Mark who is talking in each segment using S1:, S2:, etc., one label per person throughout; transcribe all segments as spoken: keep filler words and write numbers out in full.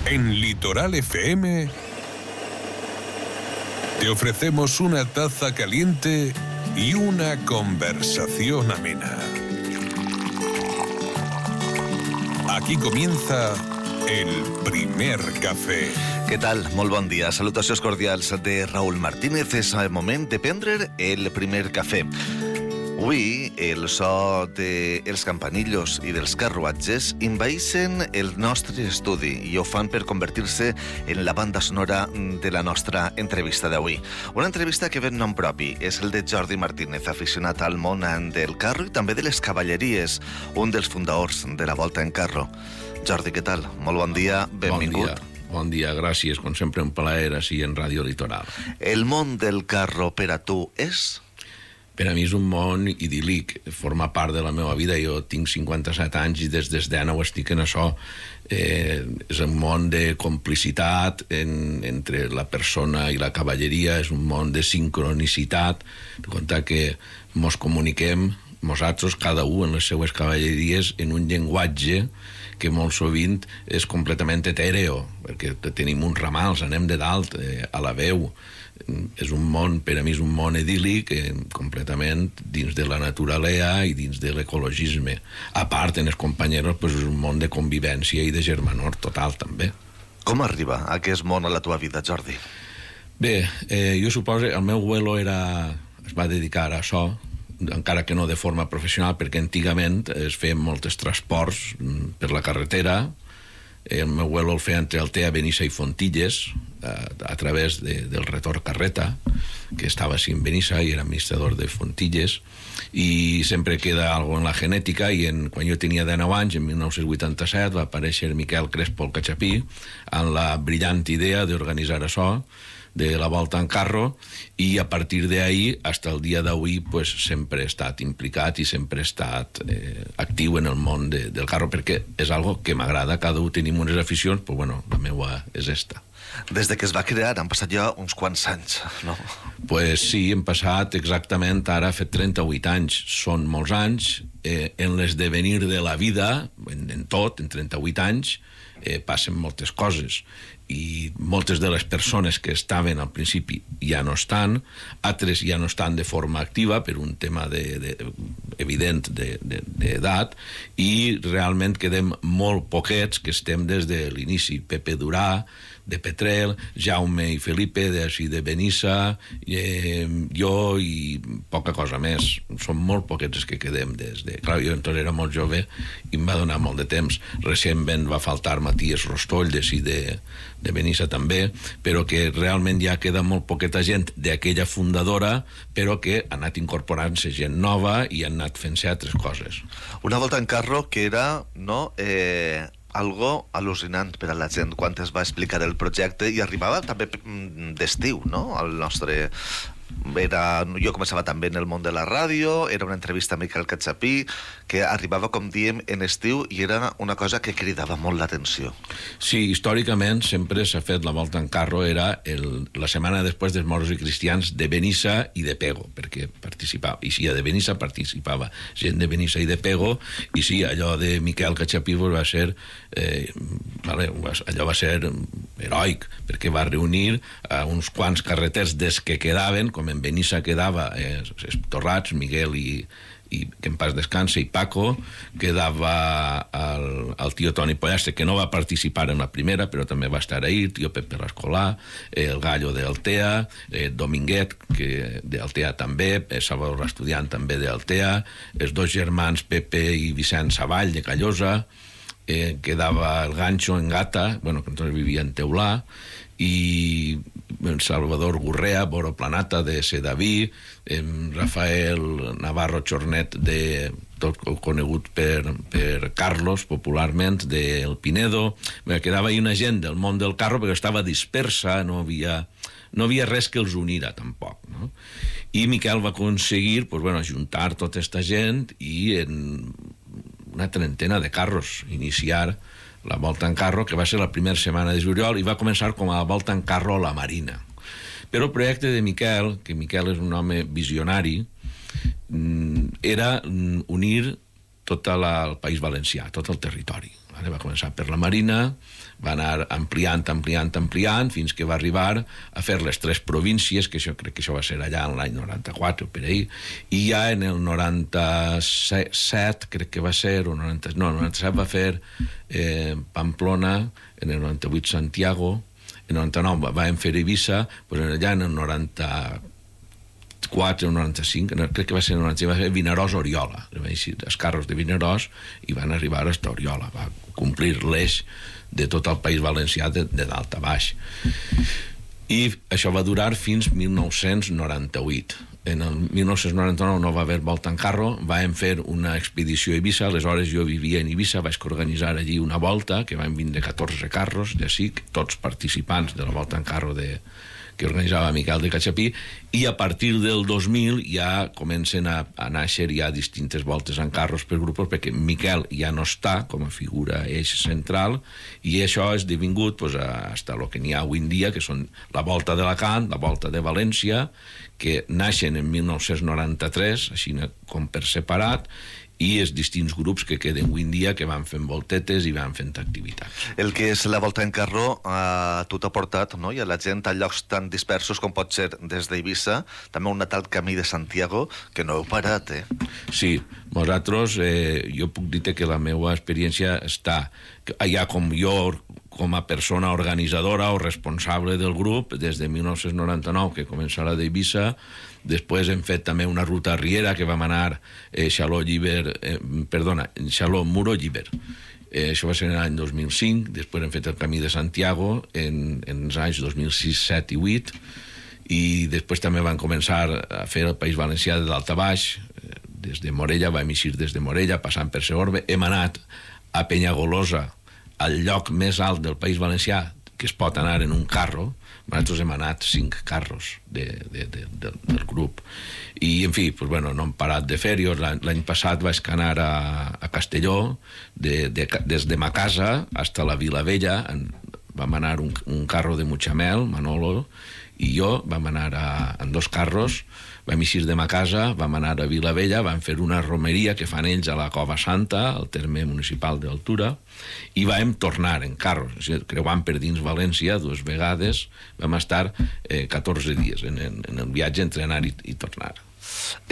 S1: En Litoral F M te ofrecemos una taza caliente y una conversación amena. Aquí comienza el primer cafè.
S2: Què tal? Molt bon dia. Salutacions cordials de Raúl Martínez. És el moment de prendre el primer cafè. Avui, el so dels campanillos i dels carruatges envaeixen el nostre estudi i ho fan per convertir-se en la banda sonora de la nostra entrevista d'avui. Una entrevista que ven nom propi, és el de Jordi Martínez, aficionat al món del carro i també de les cavalleries, un dels fundadors de la Volta en Carro. Jordi, què tal? Molt bon dia, benvingut.
S3: Bon dia. Bon dia, gràcies, com sempre un plaer així en Ràdio Litoral.
S2: El món del carro per a tu és?
S3: Per a mi és un món idíl·lic, forma part de la meva vida. Jo tinc cinquanta-set anys i des dels deu estic en això. Eh, és un món de complicitat en, entre la persona i la cavalleria, és un món de sincronicitat, de compte que mos comuniquem nosaltres, cada un en les seues cavalleries, en un llenguatge que molt sovint és completament etèreo, perquè tenim uns ramals, anem de dalt eh, a la veu. És un món, per a mi és un món idíl·lic, eh, completament dins de la naturalea i dins de l'ecologisme. A part, en els companyeros, pues, és un món de convivència i de germanor total, també.
S2: Com arriba aquest món a la teva vida, Jordi?
S3: Bé, eh, jo suposo que el meu abuelo era, es va dedicar a això, encara que no de forma professional, perquè antigament es feien molts transports per la carretera. El meu abuelo el feia entre Altea, Benissa i Fontilles, a, a través de, del retorn carreta, que estava així en Benissa i era administrador de Fontilles, i sempre queda algo en la genètica. I en, quan jo tenia dinou anys, en mil nou-cents vuitanta-set, va aparèixer Miquel Crespo el Cachapí amb la brillant idea d'organitzar això, de la Volta en Carro, i a partir d'ahí, fins al dia d'avui, pues, sempre he estat implicat i sempre he estat eh, actiu en el món de, del carro, perquè és algo que m'agrada. Cada un tenim unes aficions, però bueno, la meva és esta.
S2: Des de que es va crear han passat ja uns quants anys, no?
S3: Pues sí, hem passat exactament, ara ha fet trenta-vuit anys, són molts anys. Eh, en l'esdevenir de la vida, en, en tot, en trenta-vuit anys, eh, passen moltes coses, i moltes de les persones que estaven al principi ja no estan, altres ja no estan de forma activa per un tema de, de, evident d'edat, i realment quedem molt poquets que estem des de l'inici. Pepe Durà, de Petrel, Jaume i Felipe, de, de Benissa, eh, jo i poca cosa més. Som molt poquets els que quedem des de... Clar, jo entonces era molt jove i em va donar molt de temps. Recentment va faltar Matías Rostoll, de, de, de Benissa també, però que realment ja queda molt poqueta gent d'aquella fundadora, però que ha anat incorporant-se gent nova i han anat fent-se altres coses.
S2: Una Volta en Carro que era, no... Eh... algo al·lucinant per a la gent quan es va explicar el projecte, i arribava també d'estiu, no? El nostre... Era... Jo començava també en el món de la ràdio, era una entrevista a Miquel Cachapí, que arribava, com diem, en estiu, i era una cosa que cridava molt l'atenció.
S3: Sí, històricament sempre s'ha fet la Volta en Carro, era el, la setmana després dels moros i cristians de Benissa i de Pego, perquè participava, i sí, de Benissa participava gent de Benissa i de Pego, i sí, allò de Miquel Cachapí va ser eh, vale, allò va ser heroic, perquè va reunir a uns quants carreters des que quedaven, com en Benissa quedava eh, Torrats, Miguel i, i que en pas descanse, i Paco, quedava el, el tio Toni Pollastre, que no va participar en la primera, però també va estar ahí, el tio Pepe Rascolà, el Gallo d'Altea, eh, Dominguet, que d'Altea també, eh, Salvador Estudiant també d'Altea, els dos germans Pepe i Vicent Savall de Callosa, eh, quedava el Gancho en Gata, bueno, que entonces vivia en Teulà, i Salvador Gurrea, Boro Planata de Sedaví, eh, Rafael Navarro Chornet, de, tot conegut per, per Carlos popularment, del Pinedo. Bé, quedava ahí una gent del món del carro, perquè estava dispersa, no havia, no havia res que els unira tampoc, no? I Miquel va aconseguir, pues, bueno, juntar tota aquesta gent i en una trentena de carros iniciar la Volta en Carro, que va ser la primera setmana de juliol, i va començar com a Volta en Carro a la Marina. Però el projecte de Miquel, que Miquel és un home visionari, era unir tot la, el País Valencià, tot el territori. Va començar per la Marina, va anar ampliant, ampliant, ampliant, fins que va arribar a fer les tres províncies, que això crec que això va ser allà en l'any noranta-quatre, per ahí, i ja en el noranta-set, crec que va ser, o noranta, no, el noranta-set va fer eh, Pamplona, en el noranta-vuit Santiago, en el noranta-nou vam fer Eivissa, pues allà en el noranta-quatre, o noranta-cinc, crec que va ser el noranta-cinc, va ser Vinaròs-Oriola, els carros de Vinaròs, i van arribar a Oriola, va complir l'eix de tot el País Valencià de, de dalt a baix. I això va durar fins mil nou-cents noranta-vuit. En el mil nou-cents noranta-nou no va haver volta en carro, vam fer una expedició a Eivissa, aleshores jo vivia en Eivissa, vaig organitzar allí una volta, que van vindre catorze carros, ja sí, tots participants de la volta en carro de, que organitzava Miquel de Catxapí, i a partir del dos mil ja comencen a, a néixer ja distintes voltes en carros per grups, perquè Miquel ja no està com a figura eix central, i això ha esdevingut pues, hasta el que n'hi ha avui en dia, que són la volta d'Alacant, la volta de València, que naixen en mil nou-cents noranta-tres, així com per separat, i els distints grups que queden avui en dia que van fent voltetes i van fent activitats.
S2: El que és la volta en carro a tu t'ha portat, no? I a la gent a llocs tan dispersos com pot ser des d'Eivissa, també un tal camí de Santiago, que no heu parat, eh?
S3: Sí, nosaltres, eh, jo puc dir que la meva experiència està, ja com jo, com a persona organitzadora o responsable del grup, des de mil nou-cents noranta-nou, que comença la d'Eivissa. Després hem fet també una ruta riera que vam anar eh, Xaló-Llíber, eh, perdona, Xaló-Muro-Llíber. Eh, això va ser en l'any dos mil cinc, després hem fet el camí de Santiago en, en els anys dos mil sis, set i vuit, i després també van començar a fer el País Valencià de dalt a baix, eh, des de Morella, vam eixir des de Morella, passant per Segorbe, hem anat a Penyagolosa, al lloc més alt del País Valencià, que es pot anar en un carro. Nosaltres hem anat cinc carros de, de, de, de, del grup, i en fi, pues, bueno, no hem parat de fer-hi. L'any passat vaig anar a, a Castelló, de, de, des de ma casa fins a la Vila Vella. En, vam anar un, un carro de Mutxamel, Manolo i jo, vam anar a, en dos carros, vam eixir de ma casa, vam anar a Vila Vella, vam fer una romeria que fan ells a la Cova Santa, al terme municipal d'Altura, i vam tornar en carro, o sigui, creuant per dins València dues vegades, vam estar eh, catorze dies en, en, en el viatge entre anar i, i tornar.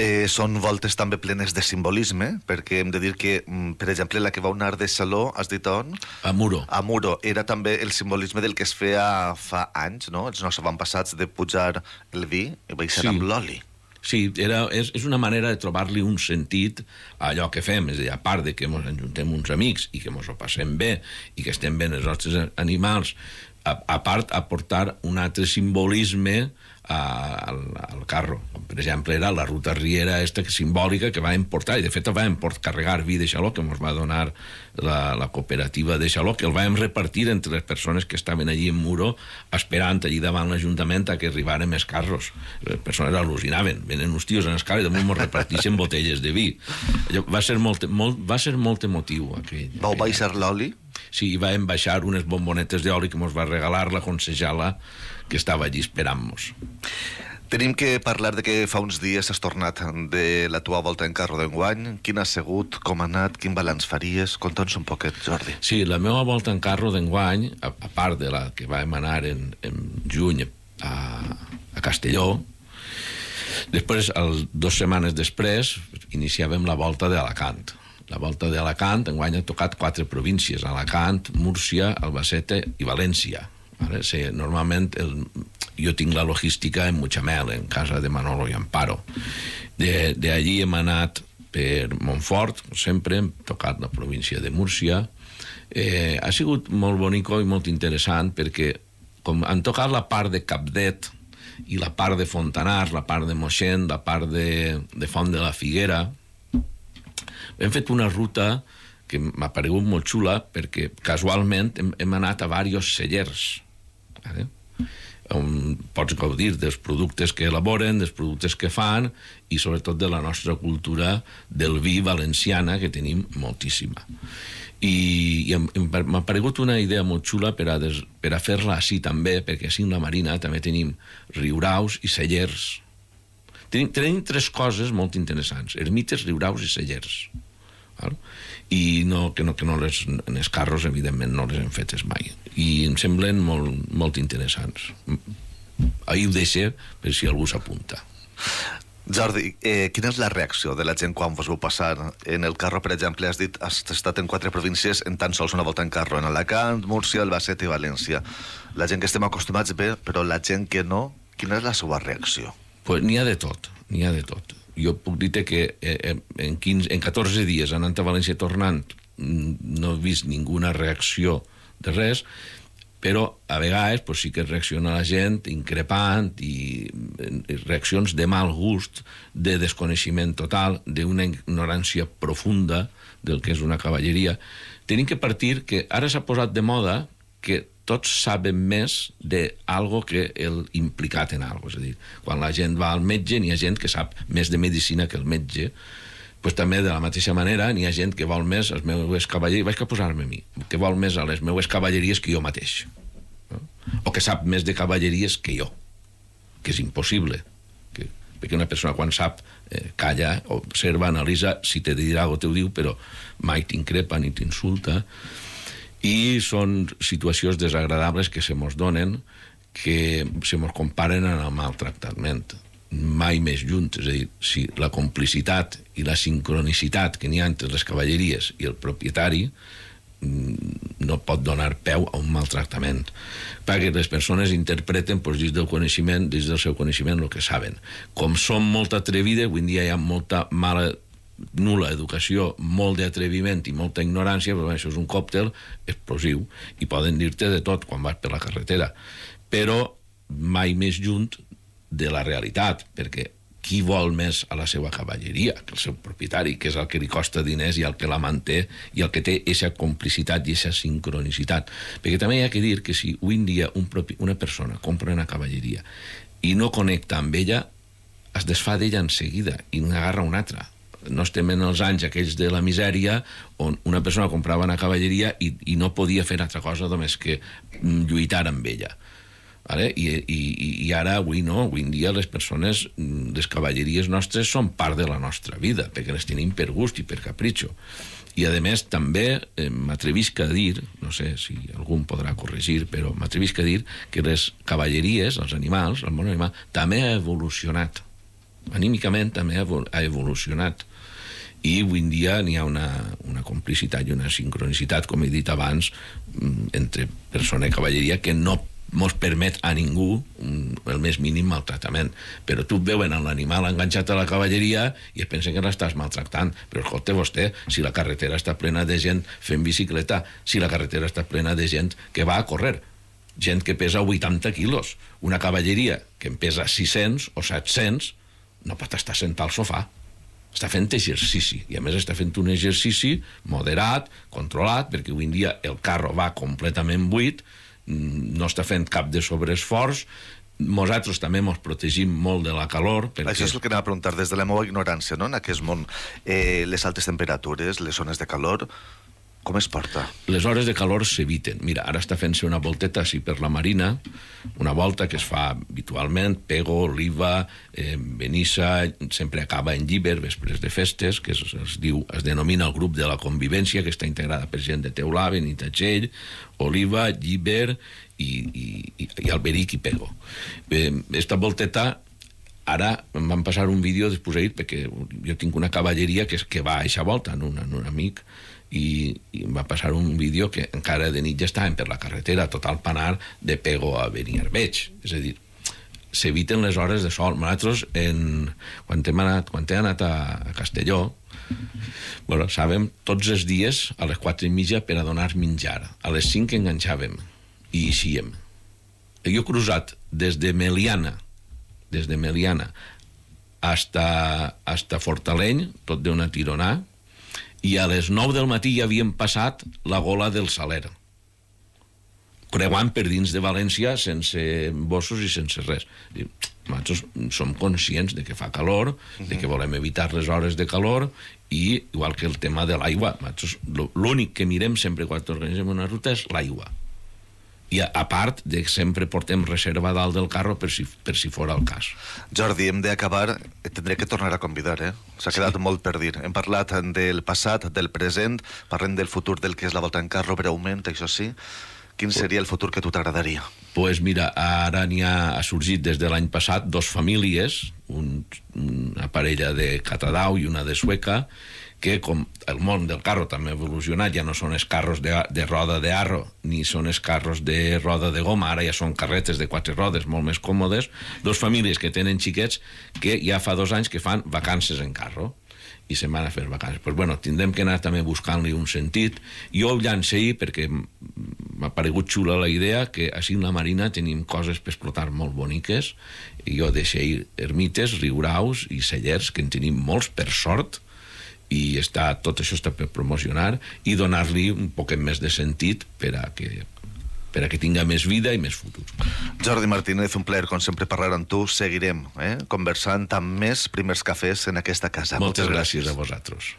S2: Eh, són voltes també plenes de simbolisme, perquè hem de dir que, per exemple, la que va anar de Saló, has dit on?
S3: A Muro.
S2: A Muro. Era també el simbolisme del que es feia fa anys, no? Els nostres avantpassats, de pujar el vi i baixar sí. amb l'oli.
S3: Sí, era, és, és una manera de trobar-li un sentit a allò que fem, és a dir, a part de que ens ajuntem uns amics i que ens ho passem bé i que estem bé els nostres animals, a, a part aportar un altre simbolisme a, al, al carro. Com, per exemple, era la ruta riera esta simbòlica que va importar, i de fet va importar carregar vi de Xaló, que ens va donar la, la cooperativa de Xaló, que el vam repartir entre les persones que estaven allí en Muro, esperant allí davant l'Ajuntament a que arribaren més carros. Les persones al·lucinaven, venen uns tios en escala i damunt ens reparteixen botelles de vi. Allò va ser molt, molt, va ser molt emotiu aquell.
S2: Vau baixar l'oli?
S3: Sí, i vam baixar unes bombonetes d'oli que ens va regalar la concejala que estava allí esperant-nos.
S2: Tenim que parlar de que fa uns dies has tornat de la tua volta en carro d'enguany. Quin ha sigut, com ha anat, quin balanç faries? Conta'ns un poquet, Jordi.
S3: Sí, la meva volta en carro d'enguany, a, a part de la que vam anar en, en juny a, a Castelló, després, el, dues setmanes després, iniciàvem la volta d'Alacant. La volta d'Alacant enguany ha tocat quatre províncies: Alacant, Múrcia, Albacete i València. Vale? Sí, normalment el, jo tinc la logística en Mutxamel, en casa de Manolo i Amparo. De, de allí hem anat per Montfort, sempre hem tocat la província de Múrcia. Eh, ha sigut molt bonico i molt interessant perquè com han tocat la part de Capdet i la part de Fontanars, la part de Moixent, la part de, de Font de la Figuera, hem fet una ruta que m'ha paregut molt xula perquè casualment hem, hem anat a diversos cellers, vale? On pots gaudir dels productes que elaboren, dels productes que fan i sobretot de la nostra cultura del vi valenciana, que tenim moltíssima. I, i m'ha paregut una idea molt xula per a, des, per a fer-la així també, perquè així en la Marina també tenim riuraus i cellers. Tenim, tenim tres coses molt interessants: ermites, riuraus i cellers. Val? I no, que, no, que no les, en els carros, evidentment, no les hem fetes mai. I em semblen molt, molt interessants. Ahir ho deixo per si algú s'apunta.
S2: Jordi, eh, quina és la reacció de la gent quan vos vau passar en el carro, per exemple? Has dit, has estat en quatre províncies en tan sols una volta en carro, en Alacant, Múrcia, Albacete i València. La gent que estem acostumats bé, però la gent que no, quina és la seva reacció?
S3: Pues n'hi ha de tot, n'hi ha de tot. Jo puc dir-te que eh, en, quinze, en catorze dies anant a València tornant no he vist ninguna reacció de res, però a vegades pues, sí que reacciona la gent increpant i, i reaccions de mal gust, de desconeixement total, d'una ignorància profunda del que és una cavalleria. Tenim que partir que ara s'ha posat de moda que tots saben més d'algo que el implicat en algo. És a dir, quan la gent va al metge, n'hi ha gent que sap més de medicina que el metge, pues també de la mateixa manera n'hi ha gent que vol més les meues cavalleries, vaig a posar-me a mi, que vol més a les meues cavalleries que jo mateix, no? O que sap més de cavalleries que jo, que és impossible, que, perquè una persona quan sap eh, calla, observa, analitza, si te dirà o te ho diu, però mai t'increpa ni t'insulta, i són situacions desagradables que se mos donen, que se mos comparen amb el maltractament. Mai més junt, és a dir, si la complicitat i la sincronicitat que n'hi ha entre les cavalleries i el propietari no pot donar peu a un maltractament, perquè les persones interpreten doncs, dins del coneixement, dins del seu coneixement el que saben. Com són molt atrevides, avui en dia hi ha molta mala, nul·la educació, molt d'atreviment i molta ignorància, però això és un còctel explosiu i poden dir-te de tot quan vas per la carretera, però mai més junt de la realitat, perquè qui vol més a la seva cavalleria que el seu propietari, que és el que li costa diners i el que la manté i el que té aquesta complicitat i aquesta sincronicitat. Perquè també hi ha que dir que si avui en dia un propi, una persona compra una cavalleria i no connecta amb ella, es desfà d'ella en seguida i n'agarra una altra. No estem en els anys aquells de la misèria on una persona comprava una cavalleria i, i no podia fer altra cosa només que lluitar amb ella. Vale? I, i, i ara avui no, avui en dia les persones, les cavalleries nostres són part de la nostra vida, perquè les tenim per gust i per capritxo. I a més també eh, m'atrevisc a dir, no sé si algú em podrà corregir, però m'atrevisc a dir que les cavalleries, els animals, el món animal, també ha evolucionat. Anímicament també ha evolucionat. I avui en dia n'hi ha una, una complicitat i una sincronicitat, com he dit abans, entre persona i cavalleria que no mos permet a ningú el més mínim maltractament. Però tu et veuen amb l'animal enganxat a la cavalleria i es pensen que l'estàs maltractant. Però escolta vostè, si la carretera està plena de gent fent bicicleta, si la carretera està plena de gent que va a córrer, gent que pesa vuitanta quilos, una cavalleria que en pesa sis-cents o set-cents, no pot estar sentat al sofà. Està fent exercici, i a més està fent un exercici moderat, controlat, perquè avui en dia el carro va completament buit, no està fent cap de sobreesforç. Nosaltres també ens protegim molt de la calor perquè...
S2: Això és el que anava a preguntar des de la meva ignorància, no? En aquest món, eh, les altes temperatures, les zones de calor, com es porta?
S3: Les hores de calor s'eviten. Mira, ara està fent-se una volteta així per la Marina, una volta que es fa habitualment, Pego, Oliva, eh, Benissa, sempre acaba en Llíber, després de festes, que es, es diu, es denomina el grup de la convivència, que està integrada per gent de Teulà, Benitatxell, Oliva, Llíber i, i, i, i Alberic i Pego. Eh, esta volteta, ara em van passar un vídeo després d'ahir, perquè jo tinc una cavalleria que, que va a eixa volta, en un, en un amic, i, i em va passar un vídeo que encara de nit ja estàvem per la carretera, tot el panar de Pego a Beniarbeig. És a dir, s'eviten les hores de sol. Nosaltres, en, quan, hem anat, quan he anat a, a Castelló, bueno, sabem tots els dies a les quatre i mitja per a donar menjar. A les cinc enganxàvem i eixíem. Jo he cruzat des de Meliana, des de Meliana hasta, hasta Fortaleny, tot d'una tironà, i a les nou del matí ja havíem passat la Gola del Saler, creuant per dins de València sense bossos i sense res. Nosaltres som conscients de que fa calor, de que volem evitar les hores de calor, i igual que el tema de l'aigua, l'únic que mirem sempre quan organitzem una ruta és l'aigua. I a, a part de que sempre portem reserva dalt del carro per si, per si fora el cas.
S2: Jordi, hem d'acabar, tindré que tornar a convidar, eh? S'ha quedat sí. molt per dir. Hem parlat del passat, del present, parlem del futur del que és la Volta en Carro, breument, això sí. Quin seria el futur que a tu t'agradaria?
S3: Doncs pues mira, ara n'hi ha, ha sorgit des de l'any passat dos famílies, un, una parella de Catadau i una de Sueca, que com el món del carro també ha evolucionat, ja no són els carros de, de roda de arro, ni són els carros de roda de goma, ara ja són carretes de quatre rodes molt més còmodes, dos famílies que tenen xiquets que ja fa dos anys que fan vacances en carro i se'n van a fer vacances. Pues bueno, tindrem que anar també buscant-li un sentit. Jo ho llance ahir perquè m'ha paregut xula la idea que així en la Marina tenim coses per explotar molt boniques i jo deixo ahir ermites, riuraus i cellers, que en tenim molts per sort, i està, tot això està per promocionar i donar-li un poquet més de sentit per a que per a que tinga més vida i més futur.
S2: Jordi Martínez, un plaer, com sempre, parlar amb tu. Seguirem eh, conversant amb més primers cafès en aquesta casa.
S3: Moltes, Moltes gràcies. gràcies a vosaltres.